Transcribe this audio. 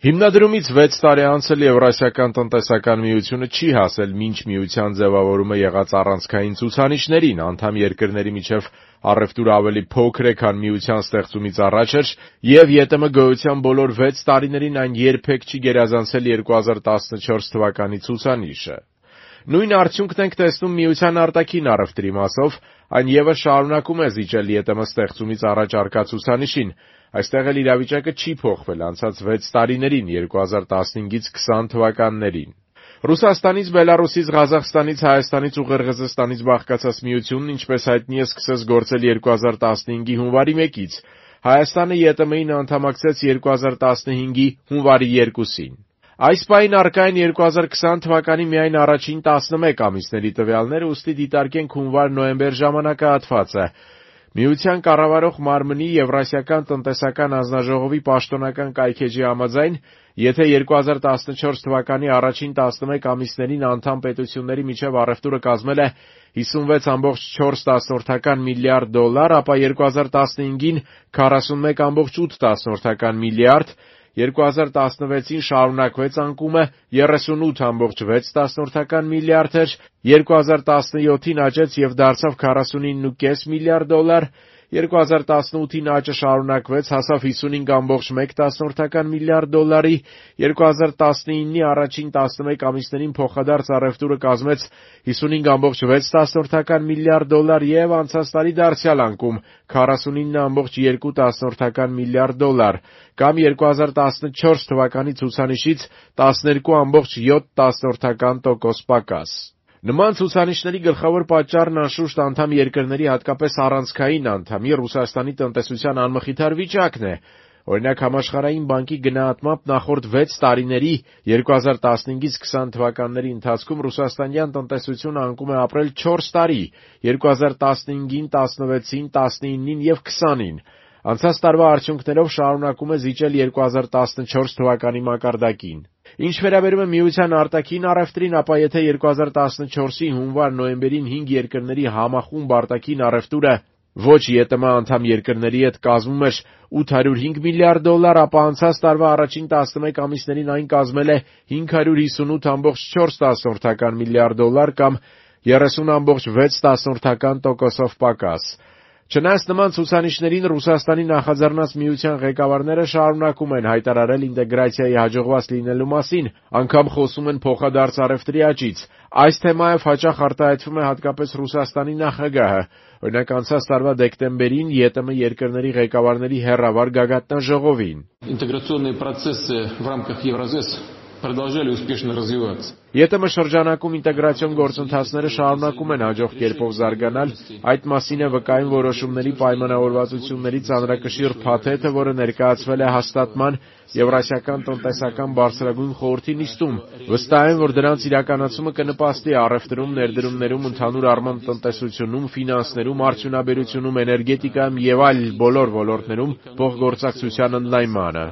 Հիմնադրումից 6 տարի անցել Եվրասիական տնտեսական միությունը չի հասել մինչ միության ձևավորումը եղած առանցքային ցուցանիշներին, անդամ երկրների միջև առևտուրը ավելի փոքր է, քան միության ստեղծումից առաջ էր, եւ ԵՏՄ գոյության բոլոր 6 տարիներին այն երբեք չի գերազանցել 2014 թվականի ցուցանիշը։ Նույն արդյունքն ենք տեսնում միության արտաքին առևտրի մասով, այն ևս շարունակում է զիջել ԵՏՄ ստեղծումից առաջ առկա ցուցանիշին։ Այստեղ էլ իրավիճակը չի փոխվել անցած 6 տարիներին 2015-ից 20 թվականներին։ Ռուսաստանից, Բելարուսից, Ղազախստանից, Հայաստանից ու Ղրղըզստանից բաղկացած միությունն, ինչպես հայտնի է, սկսեց գործել 2015-ի հունվարի 1-ից։ Հայաստանը ԵՏՄ-ին անդամակցեց 2015-ի հունվարի 2-ին։ Այս պահին առկա են 2020 թվականի միայն առաջին 11 ամիսների տվյալները, ուստի դիտարկենք հունվար-նոյեմբեր ժամանակահատվածը։ Միության կառավարող մարմնի Եվրասիական տնտեսական հանձնաժողովի պաշտոնական կայքէջի համաձայն, եթե 2014 թվականի առաջին 11 ամիսներին անդամ պետությունների միջև առևտուրը կազմել է 56,4 միլիարդ դոլար, ապա 2015-ին 41,8 միլիարդ, 2016-ին շարունակվեց անկումը 38,6 միլիարդ էր, 2017-ին աճեց եւ դարձավ 49,5 միլիարդ դոլար, 2018-ին աճը շարունակվեց, հասավ 55,1 միլիարդ դոլարի, 2019-ի առաջին 11 ամիսներին փոխադարձ առևտուրը կազմեց 55,6 միլիարդ դոլար եւ անցած տարի դարձյալ անկում 49,2 միլիարդ դոլար, կամ 2014 թվականի ցուցանիշից 12,7% պակաս։ Նման ցուցանիշների գլխավոր պատճառն անշուշտ անդամ երկրների, հատկապես առանցքային անդամի Ռուսաստանի տնտեսության անմխիթար վիճակն է։ Օրինակ, Համաշխարհային բանկի գնահատմամբ նախորդ 6 տարիների 2015-ից 20 թվականների ընթացքում ռուսաստանյան տնտեսությունը անկում է ապրել 4 տարի՝ 2015-ին, 16-ին, 19-ին եւ 20-ին։ Անցած տարվա արդյունքներով շարունակում է զիջել 2014 թվականի մակարդակին։ Ինչ վերաբերում է միության արտաքին առևտրին, ապա եթե 2014-ի հունվար-նոյեմբերին 5 երկրների համախումբ արտաքին առևտուրը ոչ ԵՏՄ անդամ երկրների հետ կազմում էր 805 միլիարդ դոլար, ապա անցած տարվա առաջին 11 ամիսներին այն կազմել է 558,4 միլիարդ դոլար կամ 30,6% պակաս։ Չնայած նման ցուցանիշներին, Ռուսաստանի նախաձեռնած միության ղեկավարները շարունակում են հայտարարել ինտեգրացիայի հաջողված լինելու մասին, անգամ խոսում են փոխադարձ առևտրի աճից։ Այս թեմայով հաճախ արտահայտվում է հատկապես Ռուսաստանի նախագահը։ Օրինակ, անցած տարվա դեկտեմբերին ԵՏՄ երկրների ղեկավարների հեռավար գագաթնաժողովին։ Ինտեգրացիոնные процессы в рамках Евразес продолжали успешно развиваться. ԵՏՄ շրջանակում ինտեգրացիոն գործընթացները շարունակում են հաջող կերպով զարգանալ, այդ մասին է վկայում որոշումների պայմանավորվածությունների ծանրակշիռ փաթեթը, որը ներկայացվել է հաստատման Եվրասիական տնտեսական բարձրագույն խորհրդի նիստում։ Վստահ եմ, որ դրանց իրականացումը կնպաստի առևտրում, ներդրումներում, ընդհանուր առմամբ տնտեսությունում, ֆինանսներում, արդյունաբերությունում, էներգետիկայում եւ այլ բոլոր ոլորտներում փոխգործակցության ընդլայնմանը։